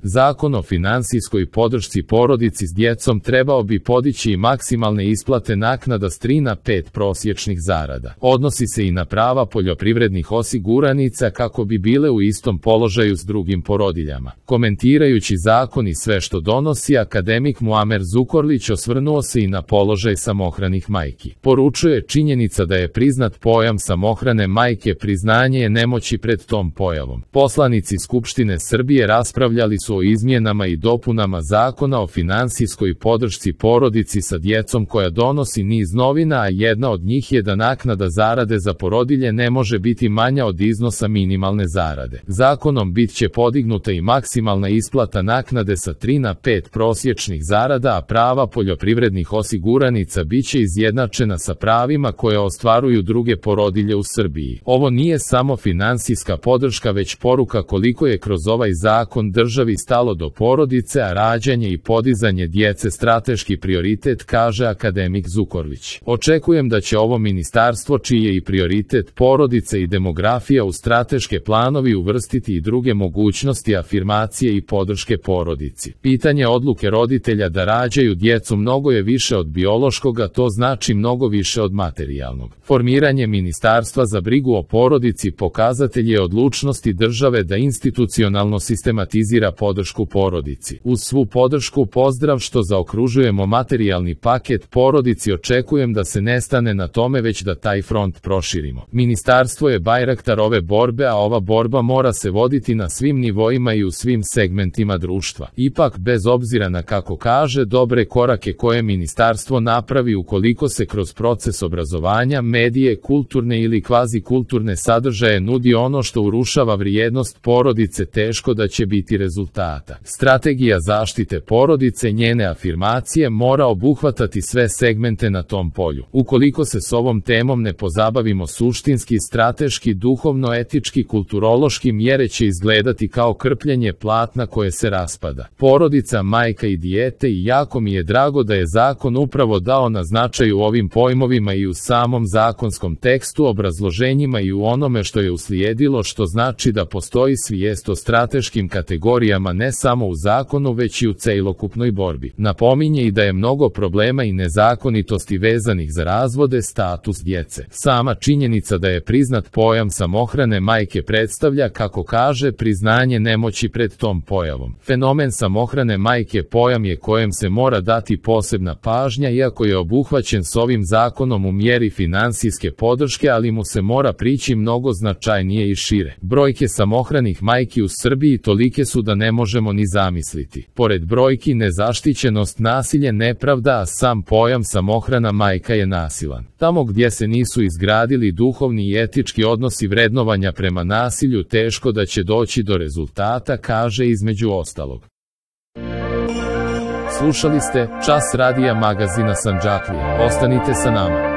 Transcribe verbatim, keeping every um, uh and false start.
Zakon o finansijskoj podršci porodici s djecom trebao bi podići i maksimalne isplate naknada s tri na pet prosječnih zarada. Odnosi se i na prava poljoprivrednih osiguranica kako bi bile u istom položaju s drugim porodiljama. Komentirajući zakon i sve što donosi, akademik Muamer Zukorlić osvrnuo se i na položaj samohranih majki. Poručuje: činjenica da je priznat pojam samohrane majke priznanje je nemoći pred tom pojavom. Poslanici Skupštine Srbije raspravljali su o izmjenama i dopunama Zakona o finansijskoj podršci porodici sa djecom koja donosi niz novina, a jedna od njih je da naknada zarade za porodilje ne može biti manja od iznosa minimalne zarade. Zakonom bit će podignuta i maksimalna isplata naknade sa tri na pet prosječnih zarada, a prava poljoprivrednih osiguranica bit će izjednačena sa pravima koje ostvaruju druge porodilje u Srbiji. Ovo nije samo finansijska podrška, već poruka koliko je kroz ovaj zakon državi stalo do porodice, a rađanje i podizanje djece strateški prioritet, kaže akademik Zukorlić. Očekujem da će ovo ministarstvo, čiji je i prioritet porodice i demografija, u strateške planovi uvrstiti i druge mogućnosti afirmacije i podrške porodici. Pitanje odluke roditelja da rađaju djecu mnogo je više od biološkoga, to znači mnogo više od materijalnog. Formiranje ministarstva za brigu o porodici pokazatelj je odlučnosti države da institucionalno sistematizira podršku porodici. Uz svu podršku, pozdrav što zaokružujemo materijalni paket porodici, očekujem da se ne stane na tome, već da taj front proširimo. Ministarstvo je bajraktar ove borbe, a ova borba mora se voditi na svim nivoima i u svim segmentima društva. Ipak, bez obzira na, kako kaže, dobre korake koje ministarstvo napravi, ukoliko se kroz proces obrazovanja, medije, kulturne ili kvazi kulturne sadržaje nudi ono što urušava vrijednost porodice, teško da će biti rezultata. Strategija zaštite porodice, njene afirmacije mora obuhvatati sve segmente na tom polju. Ukoliko se s ovom temom ne pozabavimo suštinski, strateški, duhovno, etički, kulturološki, mjere će izgledati kao krpljenje platna koje se raspada. Porodica, majka i dijete, i jako mi je drago da je zakon upravo dao na značaju ovim pojmovima i u samom zakonskom tekstu, obrazloženjima i u onome što je uslijedilo, što znači da postoji svijest o strateškim kategorijama ne samo u zakonu, već i u celokupnoj borbi. Napominje i da je mnogo problema i nezakonitosti vezanih za razvode, status djece. Sama činjenica da je priznat pojam samohrane majke predstavlja, kako kaže, priznanje nemoći pred tom pojavom. Fenomen samohrane majke pojam je kojem se mora dati posebna pažnja, iako je obuhvaćen s ovim zakonom u mjeri finansijske podrške, ali mu se mora prići mnogo značajnije i šire. Brojke samohranih majki u Srbiji tolike su da ne možemo ni zamisliti. Pored brojki, nezaštićenost, nasilje, nepravda, a sam pojam samohrana majka je nasilan. Tamo gdje se nisu izgradili duhovni i etički odnosi vrednovanja prema nasilju, teško da će doći do rezultata, kaže između ostalog. Slušali ste Čas radija magazina Sandžaklija. Ostanite sa nama.